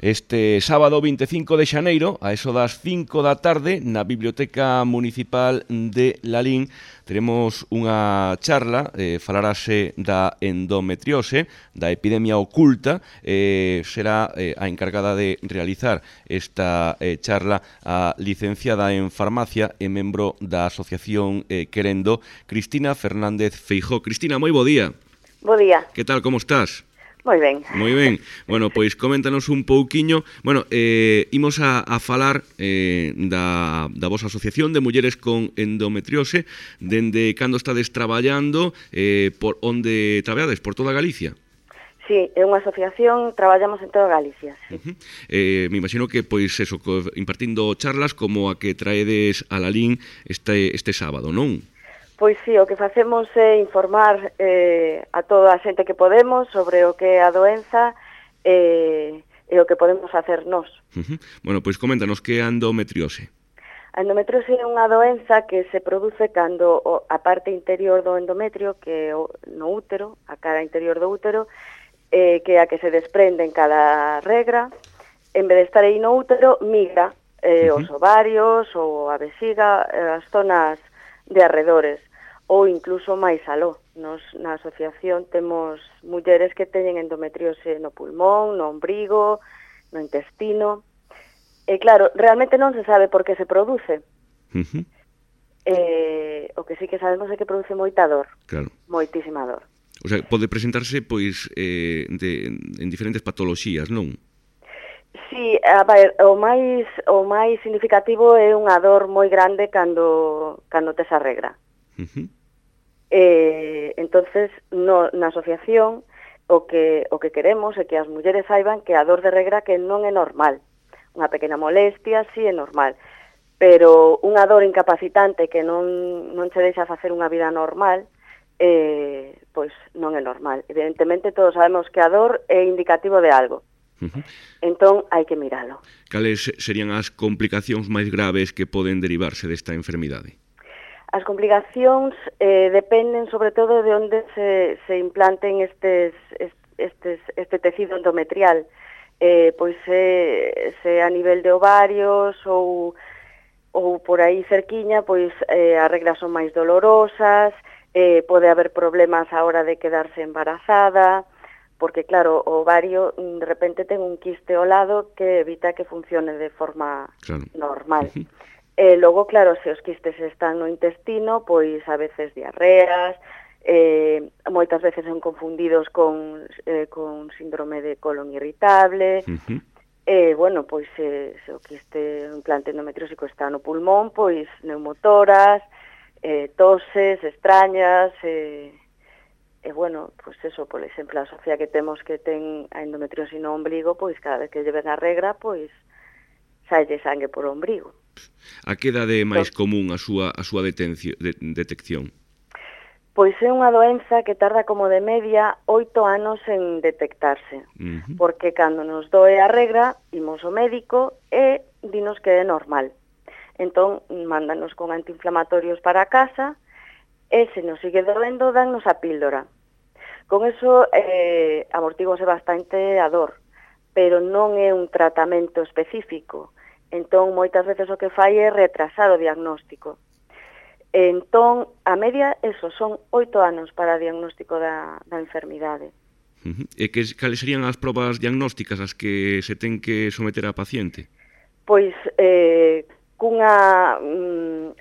este sábado 25 de xaneiro, a eso das 5 da tarde, na Biblioteca Municipal de Lalín, teremos unha charla, falarase da endometriose, da epidemia oculta, será a encargada de realizar esta charla a licenciada en farmacia e membro da Asociación Querendo, Cristina Fernández Feijó. Cristina, moi bo día. Bo día. Que tal, como estás? Moi ben. Moi ben. Bueno, pois coméntanos un pouquiño. Bueno, imos a falar da vosa asociación de mulleres con endometriose, dende cando estades traballando, por onde traballades, por toda Galicia? Sí, é unha asociación, traballamos en toda Galicia, sí. Me imagino que, pois, eso, impartindo charlas como a que traedes a Lalín este sábado, non? Pois sí, o que facemos é informar a toda a xente que podemos sobre o que é a doenza e o que podemos facer nós. Bueno, pois coméntanos que é a endometriose. A endometriose é unha doenza que se produce cando a parte interior do endometrio, que é no útero, a cara interior do útero, que é a que se desprende en cada regra, en vez de estar aí no útero, migra os ovarios ou a vexiga, as zonas de arredores, ou incluso máis aló. Nos na asociación temos mulleres que teñen endometriose no pulmón, no ombrigo, no intestino. E claro, realmente non se sabe por que se produce. O que sí que sabemos é que produce moita dor. Claro. Moitísima dor. O sea, pode presentarse, pois, en diferentes patoloxías, non? Sí, a ver, o máis significativo é unha dor moi grande cando tes a regra. Entonces, na asociación o que queremos é que as mulleres saiban que a dor de regra que non é normal. Unha pequena molestia, sí, é normal. Pero unha dor incapacitante que non che deixa facer unha vida normal, pois non é normal. Evidentemente, todos sabemos que a dor é indicativo de algo. Entón, hai que miralo. Cales serían as complicacións máis graves que poden derivarse desta enfermidade? As complicacións dependen sobre todo de onde se implanten este tecido endometrial. Pois se a nivel de ovarios ou por aí cerquiña, pois as regras son máis dolorosas, pode haber problemas a hora de quedarse embarazada, porque claro, o ovario de repente ten un quiste ao lado que evita que funcione de forma normal. Logo, claro, se os quistes están no intestino, pois a veces diarreas, moitas veces son confundidos con síndrome de colon irritable. Bueno, pois se o quiste implante endometriósico está no pulmón, pois neumotoras, toses extrañas, bueno, pois eso, por exemplo, a Sofía que temos que ten a endometriose no ombligo, pois cada vez que lle ven a regra, pois saelle sangue por ombrigo. A que idade é máis común a súa detección? Pois é unha doenza que tarda como de media 8 anos en detectarse, porque cando nos doe a regra, imos ao médico e dinos que é normal. Entón, mándanos con antiinflamatorios para casa e se nos sigue doendo, dannos a píldora. Con eso amortígose bastante a dor, pero non é un tratamento específico. Entón, moitas veces o que fai é retrasar o diagnóstico. Entón, a media, eso, son 8 anos para o diagnóstico da enfermidade. E cales serían as probas diagnósticas as que se ten que someter a paciente? Pois, cunha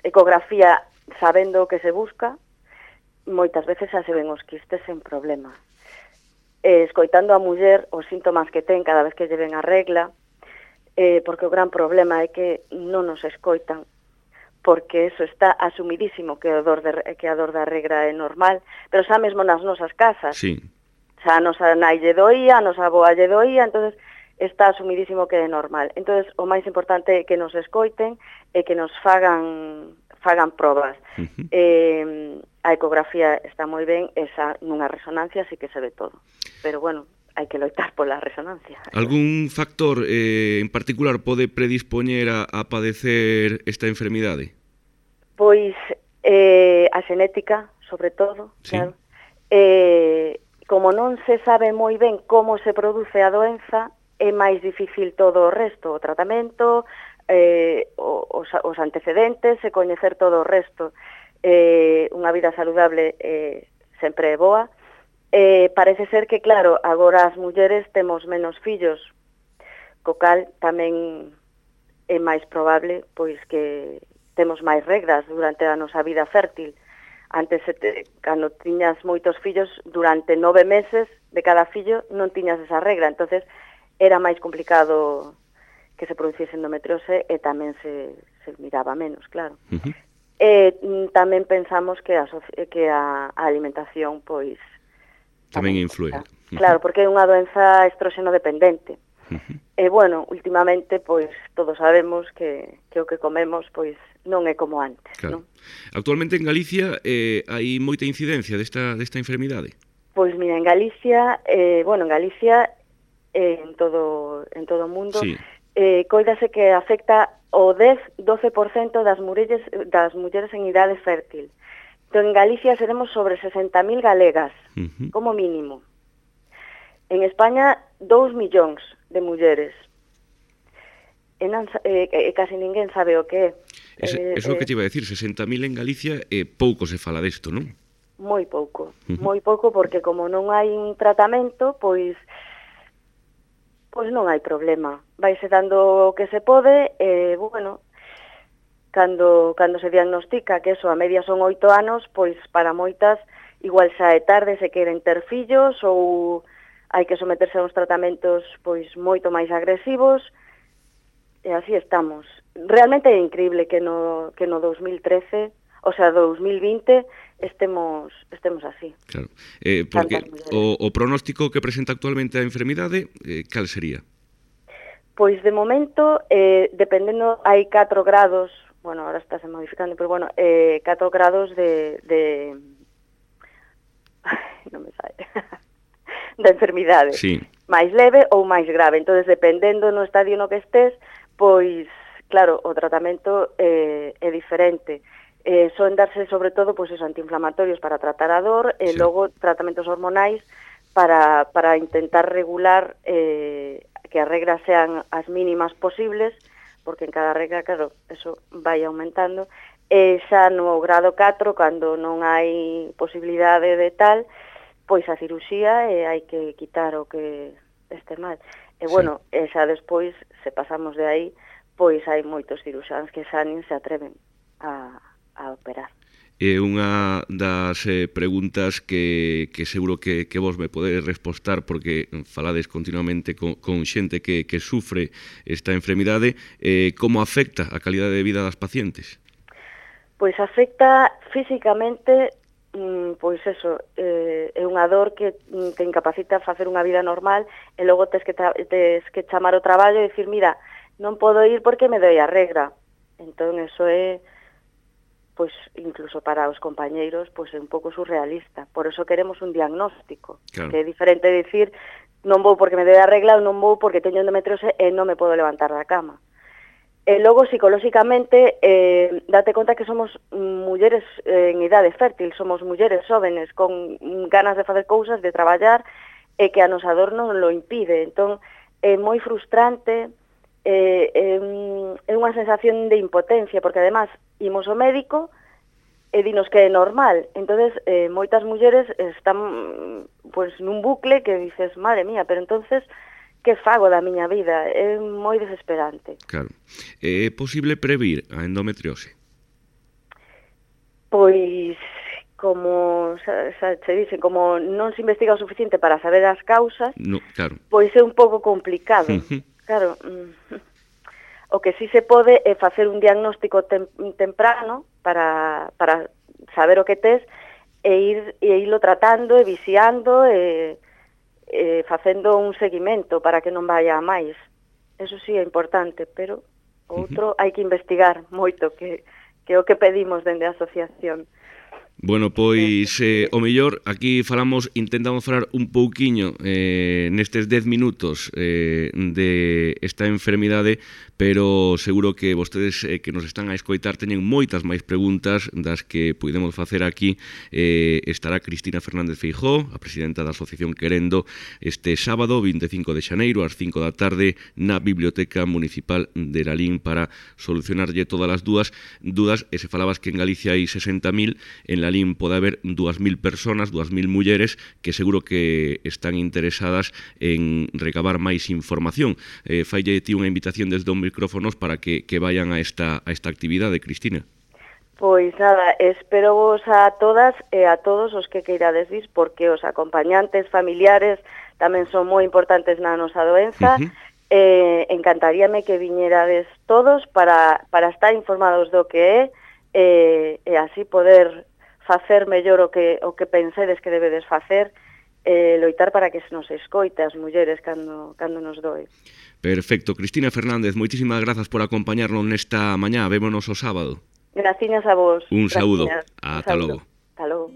ecografía sabendo o que se busca, moitas veces xa se ven os quistes sen problema. Escoitando a muller os síntomas que ten cada vez que lle ven a regla, porque o gran problema é que non nos escoitan, porque eso está asumidísimo que a dor da regra é normal, pero xa mesmo nas nosas casas. Sí. Xa a nosa nai lle doía, a nosa aboa lle doía, entonces está asumidísimo que é normal. Entonces, o máis importante é que nos escoiten e que nos fagan probas. A ecografía está moi ben, esa nunha resonancia sí que se ve todo. Pero bueno, hai que loitar pola resonancia. Algún factor en particular pode predispoñer a padecer esta enfermidade? Pois a xenética, sobre todo, sí. Claro. Como non se sabe moi ben como se produce a doenza, é máis difícil todo o resto, o tratamento, os antecedentes e coñecer todo o resto. Unha vida saludable sempre é boa. Parece ser que, claro, agora as mulleres temos menos fillos, co cal tamén é máis probable pois que temos máis regras durante a nosa vida fértil. Antes, cando tiñas moitos fillos, durante 9 meses de cada fillo non tiñas esa regra, entonces era máis complicado que se produciese endometriose e tamén se miraba menos, claro. Tamén pensamos que a alimentación, pois, tamén influe. Claro, porque é unha doenza estróxeno dependente. E, bueno, últimamente, pois, todos sabemos que o que comemos, pois, non é como antes, claro. Non? Actualmente en Galicia hai moita incidencia desta enfermidade? Pois, mira, en Galicia, en todo o mundo, sí. Coídase que afecta o 10-12% das mulleres en idade fértil. Entón, en Galicia seremos sobre 60.000 galegas, como mínimo. En España, 2 millóns de mulleres. Casi ninguén sabe o que é. Eso é o que te iba a decir, 60.000 en Galicia pouco se fala desto, non? Moi pouco, porque como non hai un tratamento, pois non hai problema. Vaise dando o que se pode, bueno, cando se diagnostica que eso a media son 8 anos, pois para moitas igual xa é tarde se queren ter fillos ou hai que someterse a uns tratamentos pois moito máis agresivos, e así estamos. Realmente é increíble que no 2013, o sea, 2020, estemos así. Claro, porque o pronóstico que presenta actualmente a enfermidade, cal sería? Pois de momento, dependendo, hai 4 grados, bueno, ahora estáse modificando, pero bueno, 4 grados de non me sai, da enfermidade. Sí. Máis leve ou máis grave. Entonces, dependendo no estadio no que estés, pois, claro, o tratamento é diferente. Son darse, sobre todo, pois, esos antiinflamatorios para tratar a dor, e logo tratamentos hormonais para intentar regular que as regras sean as mínimas posibles, porque en cada regra, claro, eso vai aumentando. Xa no grado 4, cando non hai posibilidade de tal, pois a cirurxía hai que quitar o que este mal. E, bueno, xa despois, se pasamos de aí, pois hai moitos ciruxáns que xa nin se atreven a operar. É unha das preguntas que seguro que vos me podedes respostar, porque falades continuamente con xente que sufre esta enfermidade. Como afecta a calidade de vida das pacientes? Pois afecta físicamente, pois eso, é unha dor que te incapacita a facer unha vida normal, e logo tes que chamar o traballo e dicir, mira, non podo ir porque me doi a regra. Entón, eso é, pois, incluso para os compañeiros, pois é un pouco surrealista. Por eso queremos un diagnóstico, claro, que é diferente de dicir, non vou porque me doi a regla ou non vou porque teño endometriose e non me podo levantar da cama. E logo, psicolóxicamente, date conta que somos mulleres en idade fértil, somos mulleres jóvenes con ganas de facer cousas, de traballar, e que a nosa dor non lo impide. Entón, é moi frustrante, é unha sensación de impotencia, porque además imos ao médico e dinos que é normal. Entonces, moitas mulleres están pues nun bucle que dices, madre mía, pero entonces que fago da miña vida? É moi desesperante. Claro. É posible previr a endometriose? Pois, como xa se dicen, como non se investiga o suficiente para saber as causas, no, claro, pois é un pouco complicado. Claro, o que sí se pode é facer un diagnóstico temprano para saber o que tes e irlo tratando e viciando e facendo un seguimento para que non vaya a máis. Eso sí é importante, pero outro hai que investigar moito, que é o que pedimos dende a asociación. Bueno, pois o mellor aquí intentamos falar un pouquiño nestes 10 minutos de esta enfermidade, pero seguro que vostedes que nos están a escoitar teñen moitas máis preguntas das que podemos facer aquí. Estará Cristina Fernández Feijóo, a presidenta da Asociación Querendo, este sábado 25 de xaneiro ás 5 da tarde na Biblioteca Municipal de Lalín para solucionarlle todas as dúas e se falabas que en Galicia hai 60.000, en Lalín pode haber 2.000 personas, 2.000 mulleres que seguro que están interesadas en recabar máis información. Faille ti unha invitación desde os micrófonos para que vayan a esta actividade, Cristina. Pois nada, espero vos a todas e a todos os que queirades vir, porque os acompañantes familiares tamén son moi importantes na nosa doenza. Encantaríame que viñerades todos para estar informados do que é e así poder facer mellor o que pensedes que debedes facer, loitar para que se nos escoite as mulleres cando nos doe. Perfecto. Cristina Fernández, moitísimas grazas por acompañarnos nesta mañá. Vémonos o sábado. Graciñas a vos. Un saúdo. Ata logo. Ata logo.